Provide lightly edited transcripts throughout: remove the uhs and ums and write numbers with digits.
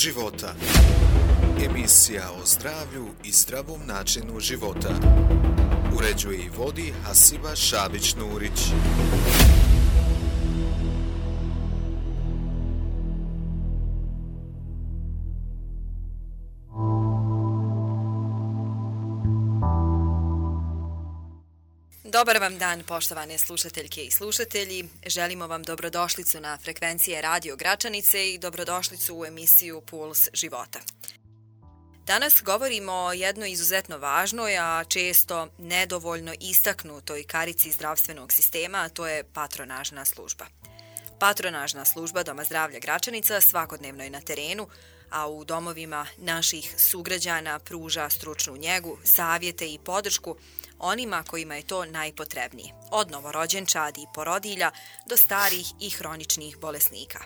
života. Emisija o zdravlju i zdravom načinu života. Uređuje i vodi Hasiba Šabić-Nurić. Dobar vam dan, poštovane slušateljke i slušatelji. Želimo vam dobrodošlicu na frekvencije Radio Gračanice i dobrodošlicu u emisiju Puls života. Danas govorimo o jednoj izuzetno važnoj, a često nedovoljno istaknutoj karici zdravstvenog sistema, a to je patronažna služba. Patronažna služba Doma zdravlja Gračanica svakodnevno je na terenu, a u domovima naših sugrađana pruža stručnu njegu, savjete i podršku onima kojima je to najpotrebnije, od novorođenčadi i porodilja do starih i hroničnih bolesnika.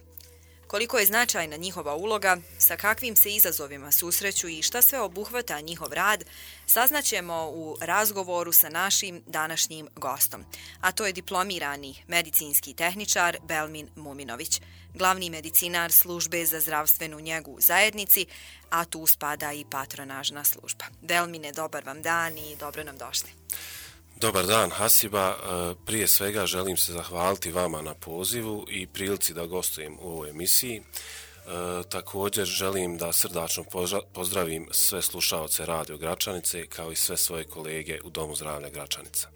Koliko je značajna njihova uloga, sa kakvim se izazovima susreću i šta sve obuhvata njihov rad, saznaćemo u razgovoru sa našim današnjim gostom, a to je diplomirani medicinski tehničar Belmin Muminović, glavni medicinar službe za zdravstvenu njegu u zajednici, a tu spada i patronažna služba. Belmine, dobar vam dan i dobro nam došli. Dobar dan, Hasiba. Prije svega želim se zahvaliti vama na pozivu i prilici da gostujem u ovoj emisiji. Također želim da srdačno pozdravim sve slušaoce Radio Gračanice kao i sve svoje kolege u Domu zdravlja Gračanica.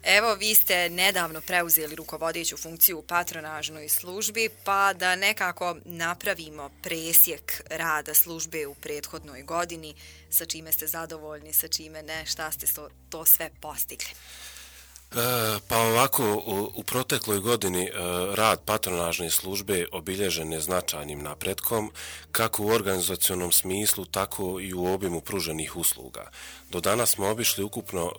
Evo, vi ste nedavno preuzeli rukovodeću funkciju u patronažnoj službi, pa da nekako napravimo presjek rada službe u prethodnoj godini, sa čime ste zadovoljni, sa čime ne, šta ste to sve postigli? Pa ovako, u protekloj godini rad patronažne službe obilježen je značajnim napretkom, kako u organizacionom smislu, tako i u obimu pruženih usluga. Do danas smo obišli ukupno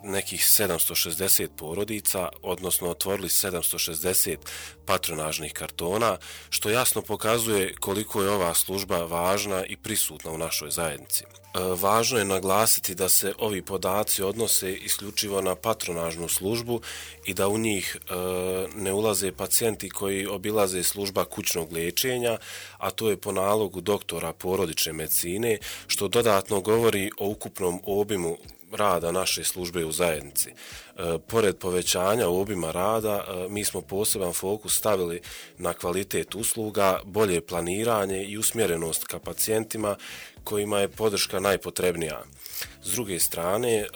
nekih 760 porodica, odnosno otvorili 760 patronažnih kartona, što jasno pokazuje koliko je ova služba važna i prisutna u našoj zajednici. Važno je naglasiti da se ovi podaci odnose isključivo na patronažnu službu i da u njih ne ulaze pacijenti koji obilaze služba kućnog liječenja, a to je po nalogu doktora porodične medicine, što dodatno govori o ukupnom obimu rada naše službe u zajednici. Pored povećanja obima rada, mi smo poseban fokus stavili na kvalitet usluga, bolje planiranje i usmjerenost ka pacijentima kojima je podrška najpotrebnija. S druge strane,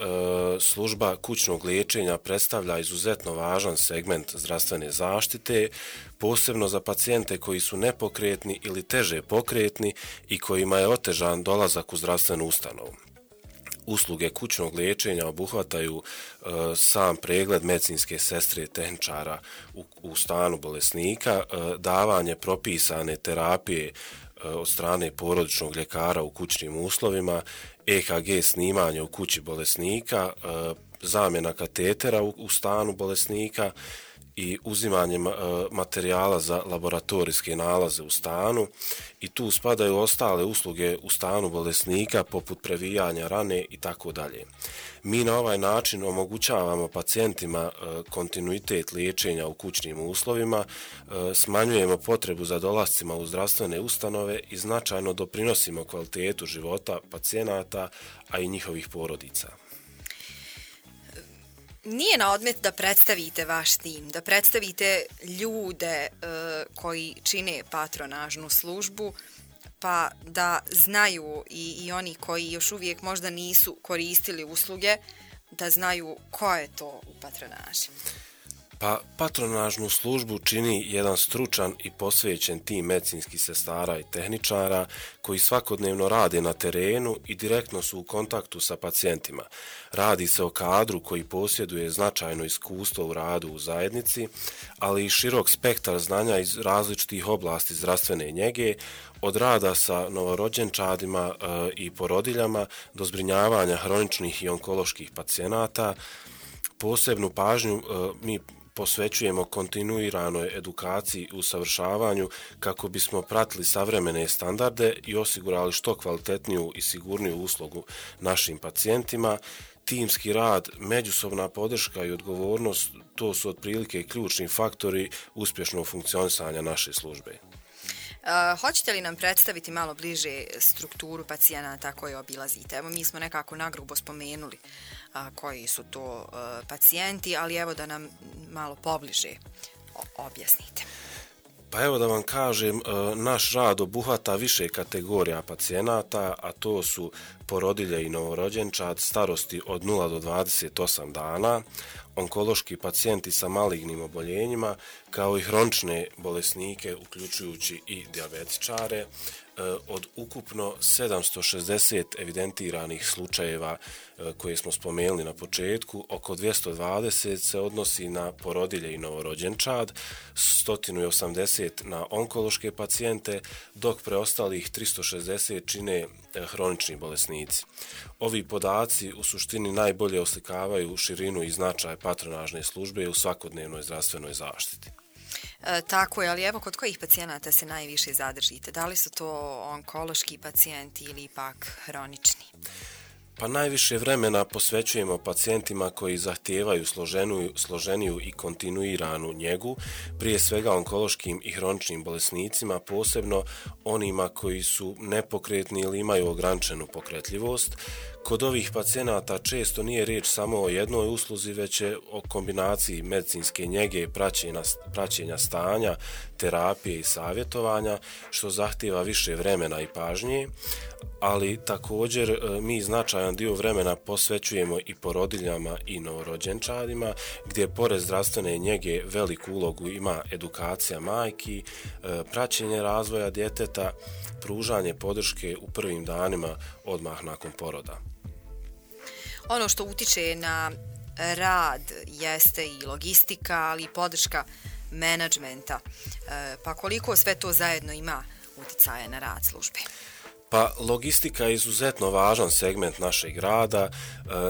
služba kućnog liječenja predstavlja izuzetno važan segment zdravstvene zaštite, posebno za pacijente koji su nepokretni ili teže pokretni i kojima je otežan dolazak u zdravstvenu ustanovu. Usluge kućnog liječenja obuhvataju sam pregled medicinske sestre tehničara u stanu bolesnika, davanje propisane terapije od strane porodičnog ljekara u kućnim uslovima, EKG snimanje u kući bolesnika, zamjena katetera u stanu bolesnika i uzimanje materijala za laboratorijske nalaze u stanu, i tu spadaju ostale usluge u stanu bolesnika poput previjanja rane i tako dalje. Mi na ovaj način omogućavamo pacijentima kontinuitet liječenja u kućnim uslovima, smanjujemo potrebu za dolascima u zdravstvene ustanove i značajno doprinosimo kvalitetu života pacijenata, a i njihovih porodica. Nije na odmet da predstavite vaš tim, da predstavite ljude koji čine patronažnu službu, pa da znaju i oni koji još uvijek možda nisu koristili usluge, da znaju ko je to u patronaži. Pa patronažnu službu čini jedan stručan i posvećen tim medicinskih sestara i tehničara koji svakodnevno rade na terenu i direktno su u kontaktu sa pacijentima. Radi se o kadru koji posjeduje značajno iskustvo u radu u zajednici, ali i širok spektar znanja iz različitih oblasti zdravstvene njege, od rada sa novorođenčadima i porodiljama do zbrinjavanja hroničnih i onkoloških pacijenata. Posebnu pažnju mi posvećujemo kontinuiranoj edukaciji i usavršavanju kako bismo pratili savremene standarde i osigurali što kvalitetniju i sigurniju uslugu našim pacijentima. Timski rad, međusobna podrška i odgovornost, to su otprilike ključni faktori uspješnog funkcionisanja naše službe. Hoćete li nam predstaviti malo bliže strukturu pacijenata koje obilazite? Evo, mi smo nekako nagrubo spomenuli koji su to pacijenti, ali evo da nam malo pobliže objasnite. Pa evo da vam kažem, naš rad obuhvata više kategorija pacijenata, a to su porodilje i novorođenčad starosti od 0 do 28 dana, onkološki pacijenti sa malignim oboljenjima, kao i hronične bolesnike, uključujući i dijabetičare. Od ukupno 760 evidentiranih slučajeva koje smo spomenuli na početku, oko 220 se odnosi na porodilje i novorođenčad, 180 na onkološke pacijente, dok preostalih 360 čine hronični bolesnici. Ovi podaci u suštini najbolje oslikavaju širinu i značaj patronažne službe u svakodnevnoj zdravstvenoj zaštiti. Tako je, ali evo kod kojih pacijenata se najviše zadržite? Da li su to onkološki pacijenti ili ipak hronični? Pa najviše vremena posvećujemo pacijentima koji zahtijevaju složeniju i kontinuiranu njegu, prije svega onkološkim i hroničnim bolesnicima, posebno onima koji su nepokretni ili imaju ograničenu pokretljivost. Kod ovih pacijenata često nije riječ samo o jednoj usluzi, već je o kombinaciji medicinske njege, praćenja stanja, terapije i savjetovanja, što zahtijeva više vremena i pažnje, ali također mi značajan dio vremena posvećujemo i porodiljama i novorođenčadima, gdje pored zdravstvene njege veliku ulogu ima edukacija majki, praćenje razvoja djeteta, pružanje podrške u prvim danima odmah nakon poroda. Ono što utiče na rad jeste i logistika, ali i podrška menadžmenta. Pa koliko sve to zajedno ima uticaja na rad službe? Pa logistika je izuzetno važan segment našeg rada.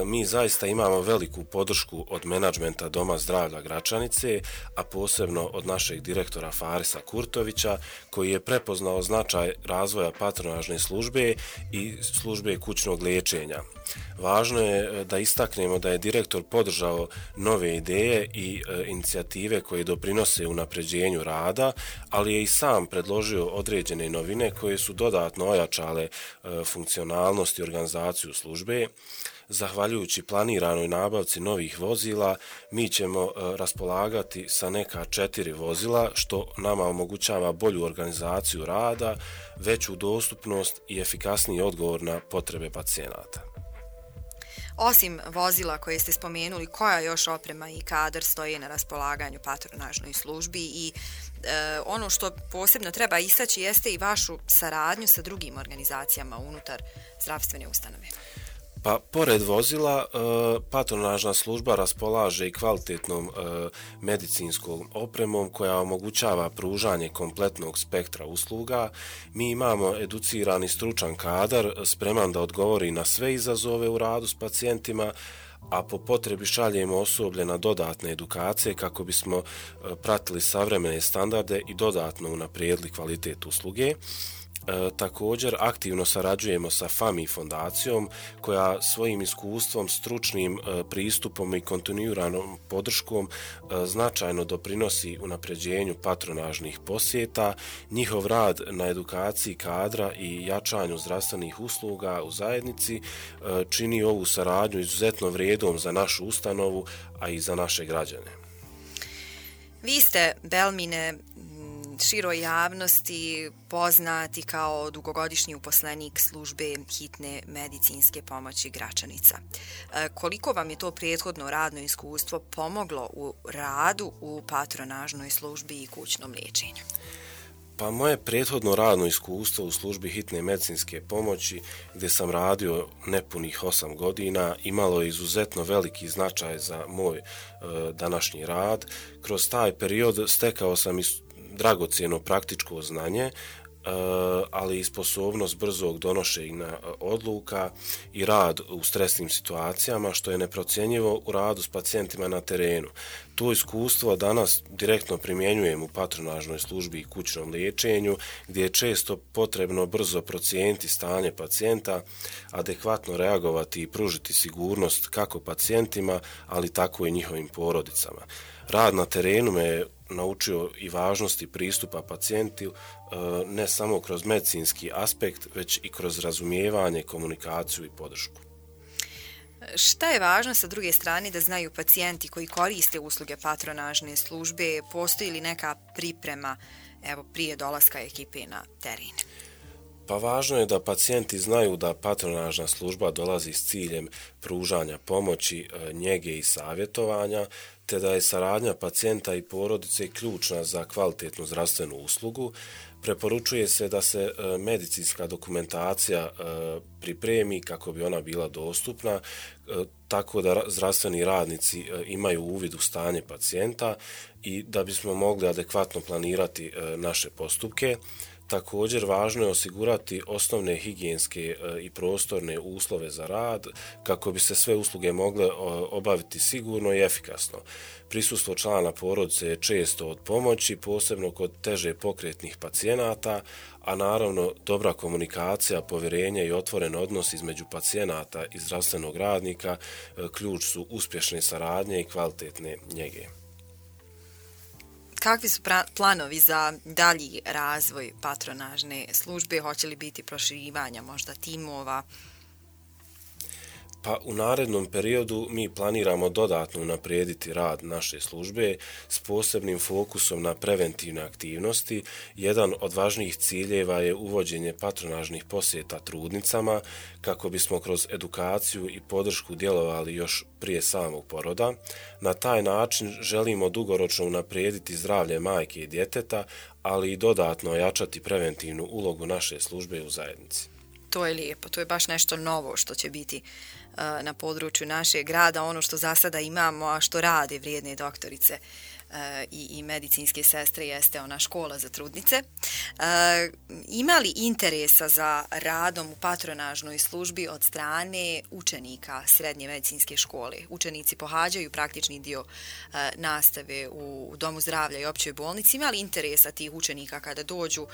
Mi zaista imamo veliku podršku od menadžmenta Doma zdravlja Gračanice, a posebno od našeg direktora Farisa Kurtovića, koji je prepoznao značaj razvoja patronažne službe i službe kućnog liječenja. Važno je da istaknemo da je direktor podržao nove ideje i inicijative koje doprinose unapređenju rada, ali je i sam predložio određene novine koje su dodatno ojačale funkcionalnost i organizaciju službe. Zahvaljujući planiranoj nabavci novih vozila, mi ćemo raspolagati sa neka 4 vozila, što nama omogućava bolju organizaciju rada, veću dostupnost i efikasniji odgovor na potrebe pacijenata. Osim vozila koje ste spomenuli, koja još oprema i kadar stoji na raspolaganju patronažnoj službi i ono što posebno treba istaći jeste i vašu saradnju sa drugim organizacijama unutar zdravstvene ustanove? Pa, pored vozila, patronažna služba raspolaže i kvalitetnom medicinskom opremom koja omogućava pružanje kompletnog spektra usluga. Mi imamo educirani stručan kadar spreman da odgovori na sve izazove u radu s pacijentima, a po potrebi šaljemo osoblje na dodatne edukacije kako bismo pratili savremene standarde i dodatno unaprijedili kvalitet usluge. Također aktivno sarađujemo sa FAMI fondacijom koja svojim iskustvom, stručnim pristupom i kontinuiranom podrškom značajno doprinosi unapređenju patronažnih posjeta. Njihov rad na edukaciji kadra i jačanju zdravstvenih usluga u zajednici čini ovu saradnju izuzetno vrijednom za našu ustanovu, a i za naše građane. Vi ste, Belmine, široj javnosti poznati kao dugogodišnji uposlenik službe hitne medicinske pomoći Gračanica. Koliko vam je to prethodno radno iskustvo pomoglo u radu u patronažnoj službi i kućnom liječenju? Pa moje prethodno radno iskustvo u službi hitne medicinske pomoći, gdje sam radio nepunih 8 godina, imalo je izuzetno veliki značaj za moj današnji rad. Kroz taj period stekao sam dragocjeno praktičko znanje, ali i sposobnost brzog donošenja odluka i rad u stresnim situacijama, što je neprocjenjivo u radu s pacijentima na terenu. To iskustvo danas direktno primjenjujem u patronažnoj službi i kućnom liječenju, gdje je često potrebno brzo procijeniti stanje pacijenta, adekvatno reagovati i pružiti sigurnost kako pacijentima, ali tako i njihovim porodicama. Rad na terenu me naučio i važnosti pristupa pacijentu ne samo kroz medicinski aspekt, već i kroz razumijevanje, komunikaciju i podršku. Šta je važno sa druge strane da znaju pacijenti koji koriste usluge patronažne službe? Postoji li neka priprema prije dolaska ekipe na teren? Pa važno je da pacijenti znaju da patronažna služba dolazi s ciljem pružanja pomoći, njege i savjetovanja, te da je saradnja pacijenta i porodice ključna za kvalitetnu zdravstvenu uslugu. Preporučuje se da se medicinska dokumentacija pripremi kako bi ona bila dostupna, tako da zdravstveni radnici imaju uvid u stanje pacijenta i da bismo mogli adekvatno planirati naše postupke. Također, važno je osigurati osnovne higijenske i prostorne uslove za rad kako bi se sve usluge mogle obaviti sigurno i efikasno. Prisustvo člana porodice je često od pomoći, posebno kod teže pokretnih pacijenata, a naravno dobra komunikacija, povjerenje i otvoren odnos između pacijenata i zdravstvenog radnika ključ su uspješne saradnje i kvalitetne njege. Kakvi su planovi za dalji razvoj patronažne službe? Hoće li biti proširivanja možda timova? Pa u narednom periodu mi planiramo dodatno unaprijediti rad naše službe s posebnim fokusom na preventivne aktivnosti. Jedan od važnijih ciljeva je uvođenje patronažnih posjeta trudnicama kako bismo kroz edukaciju i podršku djelovali još prije samog poroda. Na taj način želimo dugoročno unaprijediti zdravlje majke i djeteta, ali i dodatno ojačati preventivnu ulogu naše službe u zajednici. To je lijepo, to je baš nešto novo što će biti na području našeg grada, ono što za sada imamo, a što rade vrijedne doktorice i medicinske sestre jeste ona škola za trudnice. Ima li interesa za radom u patronažnoj službi od strane učenika srednje medicinske škole? Učenici pohađaju praktični dio nastave u Domu zdravlja i općoj bolnici. Ima li interesa tih učenika kada dođu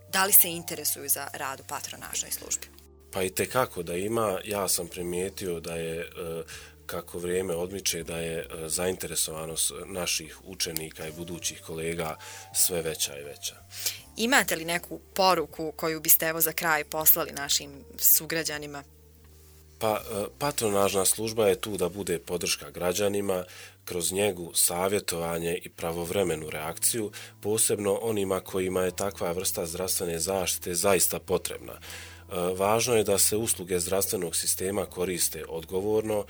da li se interesuju za rad u patronažnoj službi? Pa i tekako da ima. Ja sam primijetio da je, kako vrijeme odmiče, da je zainteresovanost naših učenika i budućih kolega sve veća i veća. Imate li neku poruku koju biste za kraj poslali našim sugrađanima? Pa patronažna služba je tu da bude podrška građanima kroz njegu, savjetovanje i pravovremenu reakciju, posebno onima kojima je takva vrsta zdravstvene zaštite zaista potrebna. Važno je da se usluge zdravstvenog sistema koriste odgovorno.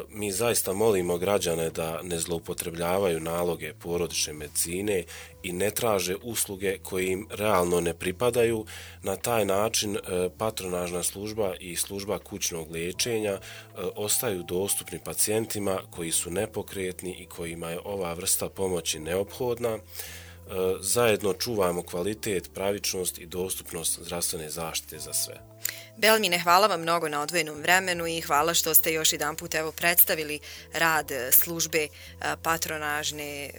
Mi zaista molimo građane da ne zloupotrebljavaju naloge porodične medicine i ne traže usluge koje im realno ne pripadaju. Na taj način patronažna služba i služba kućnog liječenja ostaju dostupni pacijentima koji su nepokretni i kojima je ova vrsta pomoći neophodna. Zajedno čuvamo kvalitet, pravičnost i dostupnost zdravstvene zaštite za sve. Belmine, hvala vam mnogo na odvojenom vremenu i hvala što ste još jedan put predstavili rad službe patronažne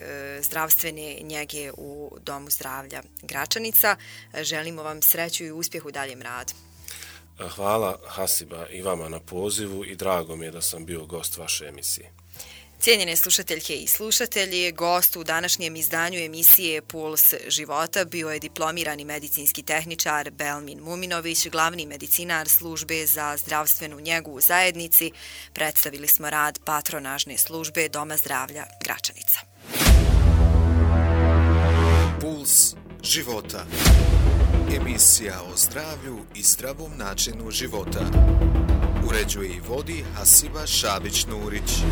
zdravstvene njege u Domu zdravlja Gračanica. Želimo vam sreću i uspjeh u daljem radu. Hvala Hasiba i vama na pozivu i drago mi je da sam bio gost vaše emisije. Cijenjene slušateljke i slušatelji, gost u današnjem izdanju emisije Puls života bio je diplomirani medicinski tehničar Belmin Muminović, glavni medicinar službe za zdravstvenu njegu u zajednici. Predstavili smo rad patronažne službe Doma zdravlja Gračanica. Puls života. Emisija o zdravlju i zdravom načinu života. Uređuje i vodi Hasiba Šabić-Nurić.